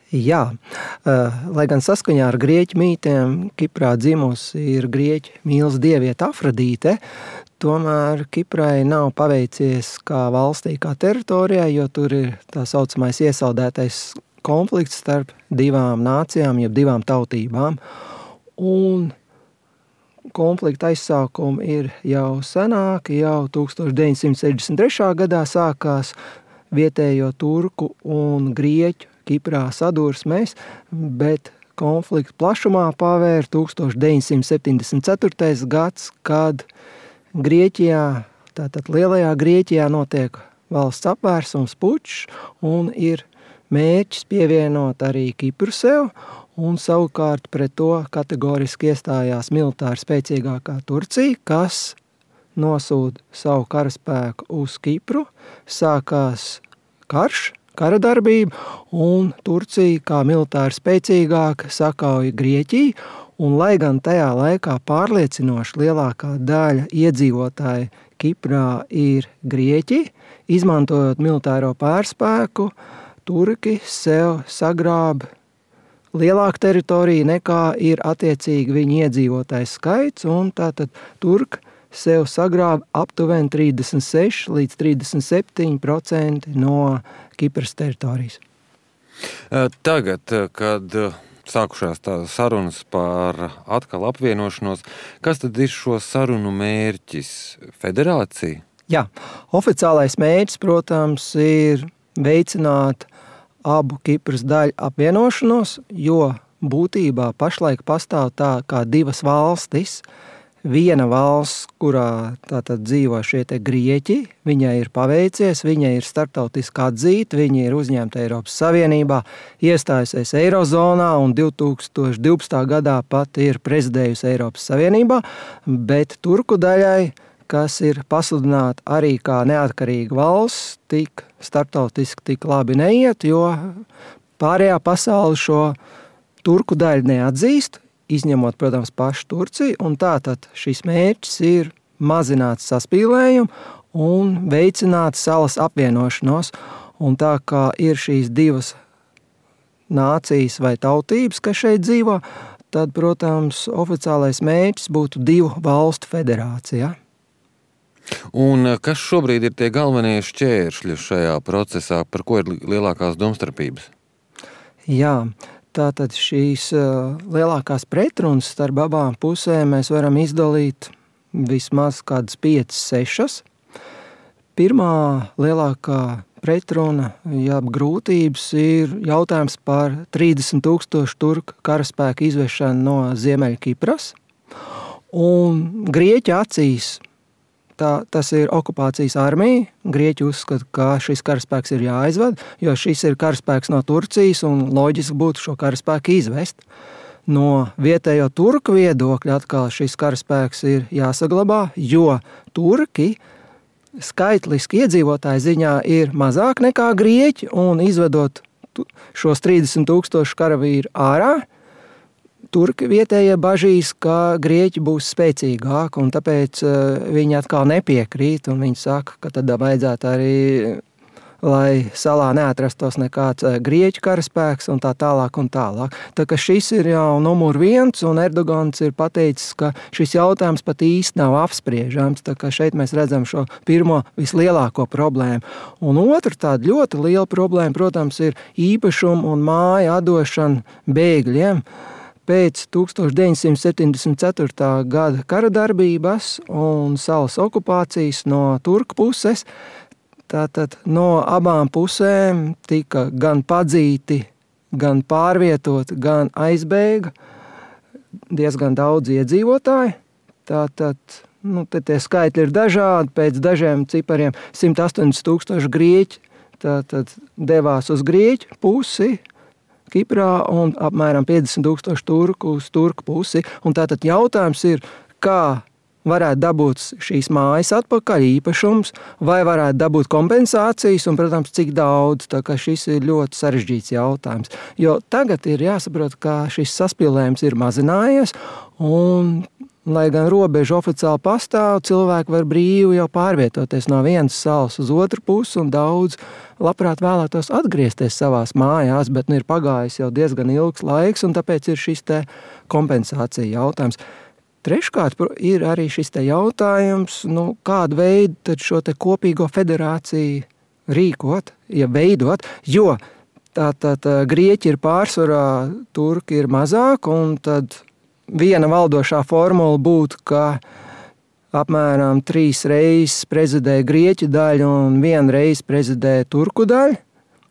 Jā, lai gan saskaņā ar grieķu mītiem Kiprā dzimusi ir grieķu mīlas dieviete Afrodīte, tomēr Kiprai nav paveicies kā valstī, kā teritorijai, jo tur ir tā saucamais iesaldētais konflikts starp divām nācijām, jeb divām tautībām. Un konflikta aizsākumi ir jau senāki, jau 1963. gadā sākās vietējo turku un grieķu Kiprā sadursmēs, bet konflikta plašumā pavēra 1974. gads, kad Grieķijā, tātad Lielajā Grieķijā notiek valsts apvērsums pučs un ir mērķis pievienot arī Kipru sev, un savukārt pret to kategoriski iestājās militāri spēcīgākā Turcija, kas nosūta savu karaspēku uz Kipru, sākās karš, kara darbība, un Turcija kā militāri spēcīgāka sakauja Grieķiju, un lai gan tajā laikā pārliecinoši lielākā daļa iedzīvotāji Kiprā ir grieķi, izmantojot militāro pārspēku, turki sev sagrāba lielāku teritoriju nekā ir attiecīgi viņu iedzīvotājs skaits, un tātad turki sev sagrāba aptuveni 36 līdz 37% no Kipras teritorijas. Tagad, kad sākušās tās sarunas par atkal apvienošanos, kas tad ir šo sarunu mērķis? Federācija? Jā, oficiālais mērķis, protams, ir veicināt abu Kipras daļu apvienošanos, jo būtībā pašlaik pastāv tā kā divas valstis. Viena valsts, kurā tātad dzīvo šie te grieķi, viņai ir paveicies, viņai ir starptautiski atzīta, viņa ir uzņemta Eiropas Savienībā, iestājusies Eirozonā un 2012. gadā pat ir prezidējusi Eiropas Savienībā, bet turku daļai, kas ir pasludināta arī kā neatkarīga valsts, tik starptautiski tik labi neiet, jo pārējā pasaule šo turku daļu neatzīst, izņemot, protams, pašu Turciju, un tātad šis mērķis ir mazināt saspīlējumu un veicināt salas apvienošanos. Un tā kā ir šīs divas nācijas vai tautības, kas šeit dzīvo, tad, protams, oficiālais mērķis būtu divu valstu federācija. Un kas šobrīd ir tie galvenie šķēršļi šajā procesā, par ko ir lielākās domstarpības? Jā, tātad šīs lielākās pretrunas starp abām pusēm mēs varam izdalīt vismaz kādas 5-6. Pirmā lielākā pretruna, grūtības ir jautājums par 30,000 turku karaspēku izvešanu no Ziemeļkipras. Un Grieķu acīs tas ir okupācijas armija. Grieķi uzskata, ka šis karaspēks ir jāizved, jo šis ir karaspēks no Turcijas un loģiski būtu šo karaspēku izvest. No vietējo turku viedokļa atkal šis karaspēks ir jāsaglabā, jo turki skaitliski iedzīvotāju ziņā ir mazāk nekā grieķi, un izvedot šos 30,000 karavīru ārā, turki vietējie bažīs, ka grieķi būs spēcīgāki, un tāpēc viņi atkal nepiekrīt, un viņi saka, ka tad vajadzētu arī, lai salā neatrastos nekāds grieķu karaspēks un tā tālāk un tālāk. Tā ka šis ir jau numur 1, un Erdogans ir pateicis, ka šis jautājums pat īsti nav apspriežams, tā ka šeit mēs redzam šo pirmo vislielāko problēmu. Un otra tāda ļoti liela problēma, protams, ir īpašumu un māju atdošana bēgļiem. Pēc 1974. gada kara darbības un salas okupācijas no turku puses, tātad no abām pusēm tika gan padzīti, gan pārvietoti, gan aizbēga diezgan daudz iedzīvotāji. Tātad, tie skaitļi ir dažādi, pēc dažiem cipariem 180,000 grieķi tātad devās uz grieķu pusi Kiprā un apmēram 50,000 turku uz turku pusi. Un tātad jautājums ir, kā varētu dabūt šīs mājas atpakaļ īpašums, vai varētu dabūt kompensācijas un, protams, cik daudz. Tā kā šis ir ļoti sarežģīts jautājums. Jo tagad ir jāsaprot, ka šis saspīlējums ir mazinājies un lai gan robeža oficiāli pastāv, cilvēki var brīvi jau pārvietoties no vienas salas uz otru pusi, un daudz labprāt vēlētos atgriezties savās mājās, bet ir pagājis jau diezgan ilgs laiks, un tāpēc ir šis te kompensācija jautājums. Treškārt ir arī šis te jautājums, kādu veidu tad šo te kopīgo federāciju rīkot, veidot, jo tātad grieķi ir pārsvarā, turki ir mazāk, un tad viena valdošā formula būtu, ka apmēram 3 reizes prezidē grieķu daļu un 1 reizi prezidē turku daļu,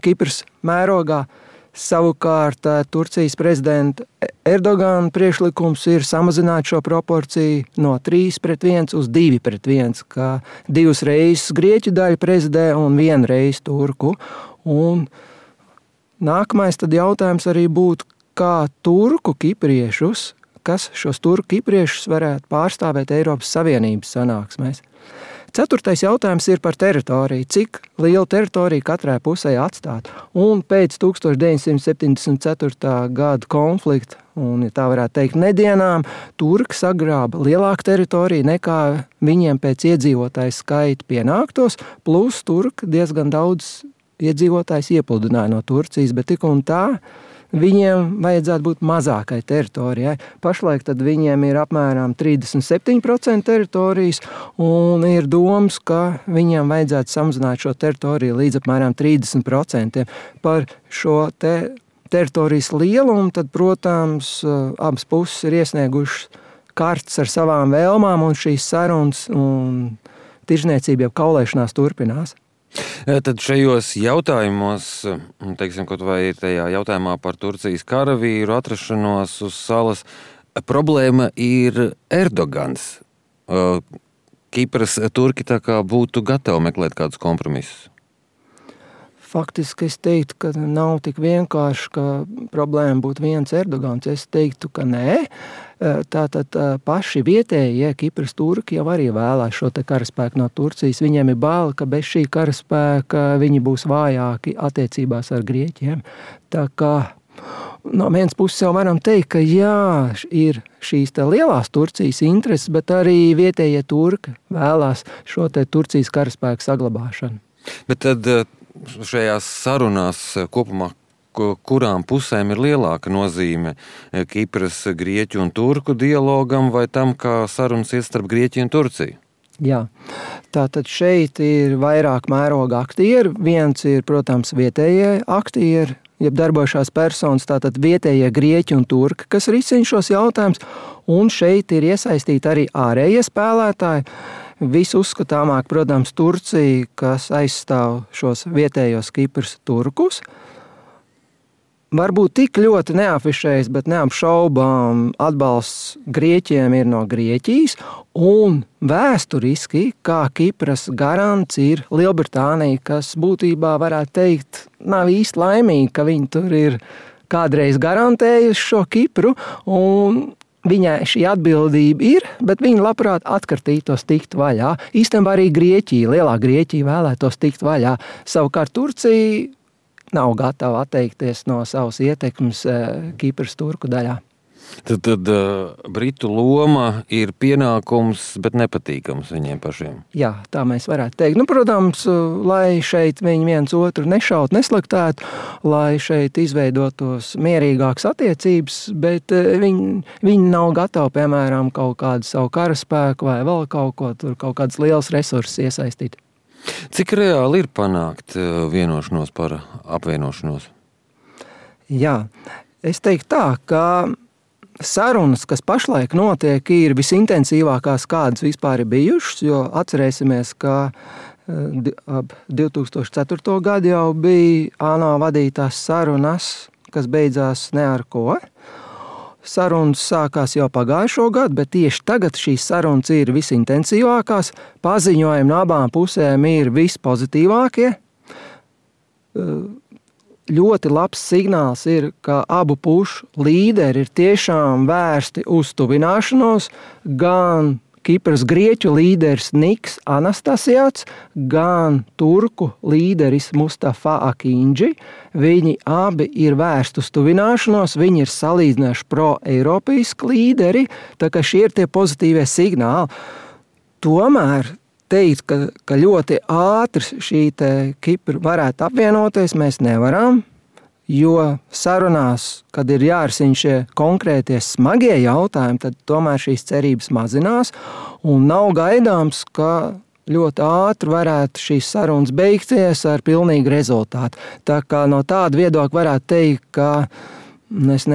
Kipras mērogā. Savukārt Turcijas prezidenta Erdogana priekšlikums ir samazināt šo proporciju no 3:1 uz 2:1, ka 2 reizes grieķu daļu prezidē un 1 reizi turku. Un nākamais tad jautājums arī būtu, kā turku kipriešus, kas šos turku kipriešus varētu pārstāvēt Eiropas Savienības sanāksmēs. 4. jautājums ir par teritoriju. Cik lielu teritoriju katrai pusē atstāt? Un pēc 1974. gada konflikta, un tā varētu teikt nedienām, turki sagrāba lielāku teritoriju nekā viņiem pēc iedzīvotāju skaita pienāktos, plus turki diezgan daudz iedzīvotājs iepludināja no Turcijas, bet tik un tā viņiem vajadzētu būt mazākai teritorijai. Pašlaik tad viņiem ir apmēram 37% teritorijas, un ir domas, ka viņiem vajadzētu samazināt šo teritoriju līdz apmēram 30%. Par šo teritorijas lielumu, tad, protams, abas puses ir iesniegušas kartes ar savām vēlmām, un šīs sarunas un tirzniecība jau kaulēšanās turpinās. Tad šajos jautājumos, teiksim, kaut vai tajā jautājumā par Turcijas karavīru atrašanos uz salas, problēma ir Erdogans. Kipras turki tā kā būtu gatavi meklēt kādus kompromisus. Faktiski es teiktu, ka nav tik vienkārši, ka problēma būtu viens Erdogans. Es teiktu, ka nē. Tātad paši vietējie Kipras turki jau arī vēlās šo te karaspēku no Turcijas. Viņiem ir bail, ka bez šī karaspēka viņi būs vājāki attiecībās ar grieķiem. Tā kā no vienas puses jau varam teikt, ka jā, ir šīs te lielās Turcijas intereses, bet arī vietējie turki vēlās šo te Turcijas karaspēku saglabāšanu. Bet tad šajās sarunās kopumā, kurām pusēm ir lielāka nozīme Kipras, Grieķu un Turku dialogam vai tam, kā sarunas iet starp Grieķiju un Turciju? Jā, tātad šeit ir vairāk mēroga aktieri. Viens ir, protams, vietējie aktieri, jeb darbošās personas, tātad vietējie Grieķi un Turki, kas risina šos jautājumus, un šeit ir iesaistīti arī ārējie spēlētāji. Visuzskatāmāk, protams, Turcija, kas aizstāv šos vietējos Kipras turkus. Varbūt tik ļoti neafišējas, bet neapšaubām atbalsts Grieķiem ir no Grieķijas, un vēsturiski, kā Kipras garants, ir Lielbritānija, kas būtībā varētu teikt, nav īsti laimīgi, ka viņi tur ir kādreiz garantējuši šo Kipru, un viņai šī atbildība ir, bet viņa labprāt atkartītos tikt vaļā. Īstenībā arī Grieķija, lielā Grieķija vēlētos tikt vaļā. Savukārt Turcija nav gatava atteikties no savas ietekmes Kipras turku daļā. Tad Britu loma ir pienākums, bet nepatīkams viņiem pašiem. Jā, tā mēs varētu teikt. Protams, lai šeit viņi viens otru nešaut, neslaktētu, lai šeit izveidotos mierīgākas attiecības, bet viņi nav gatavi, piemēram, kaut kādu savu karaspēku vai vēl kaut ko, tur kaut kādas lielas resursus iesaistīt. Cik reāli ir panākt vienošanos par apvienošanos? Jā, es teiktu tā, ka sarunas, kas pašlaik notiek, ir visintensīvākās, kādas vispār ir bijušas, jo atcerēsimies, ka ap 2004. gadu jau bija ANO vadītās sarunas, kas beidzās ne ar ko. Sarunas sākās jau pagājušo gadu, bet tieši tagad šīs sarunas ir visintensīvākās. Paziņojumi no abām pusēm ir vispozitīvākie. Ļoti labs signāls ir, ka abu pušu līderi ir tiešām vērsti uz tuvināšanos, gan Kipras grieķu līderis Niks Anastasijāts, gan turku līderis Mustafa Akindži. Viņi abi ir vērsti uz tuvināšanos, viņi ir salīdzinājuši pro-eiropeiski līderi, tā kā šie ir tie pozitīvie signāli. Tomēr teikt, ka ļoti ātri šī Kipra varētu apvienoties, mēs nevaram. Jo sarunās, kad ir jārisina šie konkrētie smagie jautājumi, tad tomēr šīs cerības mazinās un nav gaidāms, ka ļoti ātri varētu šīs sarunas beigties ar pilnīgu rezultātu. Tā kā no tāda viedokļa varētu teikt, ka es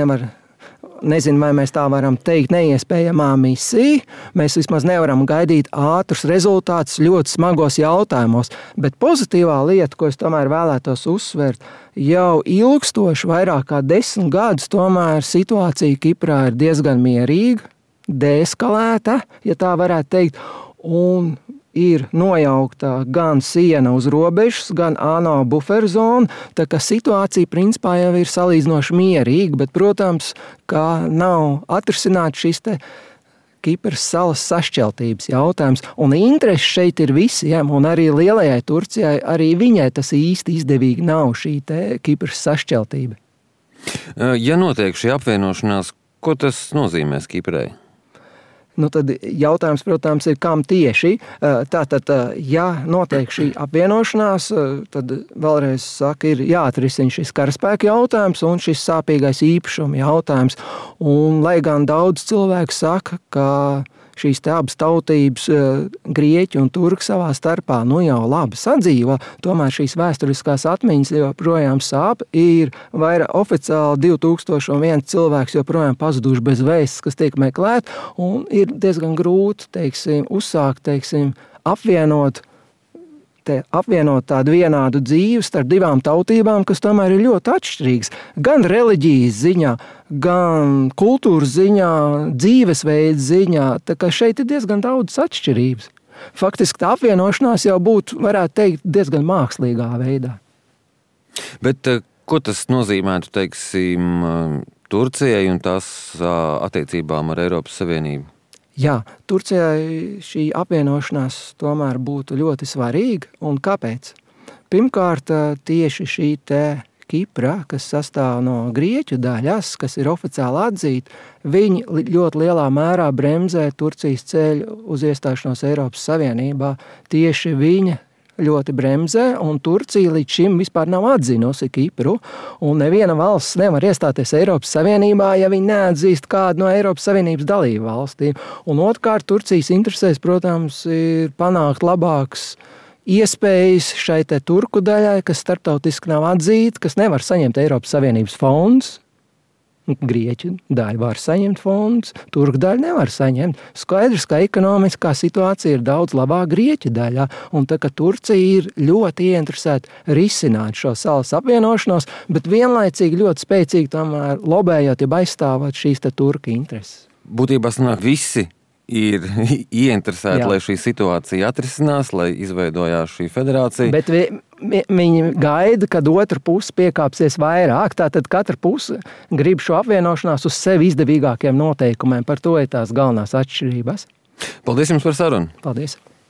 nezinu, vai mēs tā varam teikt, neiespējamā misija. Mēs vismaz nevaram gaidīt ātrus rezultātus ļoti smagos jautājumos. Bet pozitīvā lieta, ko es tomēr vēlētos uzsvērt, jau ilgstoši, vairāk kā 10 gadus, tomēr situācija Kiprā ir diezgan mierīga, deeskalēta, ja tā varētu teikt, un ir nojaukta gan siena uz robežas, gan ANO buferzona, tā ka situācija principā jau ir salīdzinoši mierīga, bet, protams, ka nav atrisināts šis Kipras salas sašķeltības jautājums, un interesi šeit ir visiem, un arī lielajai Turcijai, arī viņai tas īsti izdevīgi nav šī Kipras sašķeltība. Ja notiek šī apvienošanās, ko tas nozīmēs Kiprai? Tad jautājums, protams, ir, kam tieši. Tātad, ja notiek šī apvienošanās, tad vēlreiz saka, ir jāatrisina šis karaspēka jautājums un šis sāpīgais īpašuma jautājums. Un, lai gan daudz cilvēku saka, ka šīs abas tautības, grieķi un turki savā starpā, jau labi sadzīvo, tomēr šīs vēsturiskās atmiņas joprojām sāp. Ir vairāk oficiāli 2001 cilvēks joprojām pazuduši bez vēstas, kas tiek meklēt, un ir diezgan grūti, uzsākt, apvienot tādu vienādu dzīvi starp divām tautībām, kas tomēr ir ļoti atšķirīgas. Gan reliģijas ziņā, gan kultūras ziņā, dzīvesveida ziņā. Tā kā šeit ir diezgan daudz atšķirības. Faktiski tā apvienošanās jau būtu, varētu teikt, diezgan mākslīgā veidā. Bet ko tas nozīmētu, Turcijai un tās attiecībām ar Eiropas Savienību? Jā, Turcijai šī apvienošanās tomēr būtu ļoti svarīga. Un kāpēc? Pirmkārt, tieši šī Kipra, kas sastāv no grieķu daļas, kas ir oficiāli atzīta, viņi ļoti lielā mērā bremzē Turcijas ceļu uz iestāšanos Eiropas Savienībā. Tieši viņa ļoti bremzē, un Turcija līdz šim vispār nav atzinusi Kipru, un neviena valsts nevar iestāties Eiropas Savienībā, ja viņi neatzīst kādu no Eiropas Savienības dalību valstīm. Un otrkārt, Turcijas interesēs, protams, ir panākt labāks iespējas šai turku daļai, kas starptautiski nav atzīta, kas nevar saņemt Eiropas Savienības fondus. Grieķu daļa var saņemt fondus, turku daļa nevar saņemt. Skaidrs, ka ekonomiskā situācija ir daudz labāka Grieķu daļā, un tā kā Turcija ir ļoti ieinteresēta risināt šo salas apvienošanos, bet vienlaicīgi ļoti spēcīgi tomēr lobējot, ja aizstāvot šīs turku intereses. Būtībā sanāk visi ir ieinteresēti, lai šī situācija atrisinās, lai izveidojās šī federācija. Bet viņi gaida, kad otra puse piekāpsies vairāk. Tātad katra puse grib šo apvienošanās uz sevi izdevīgākiem noteikumiem. Par to ir tās galvenās atšķirības. Paldies jums par sarunu. Paldies.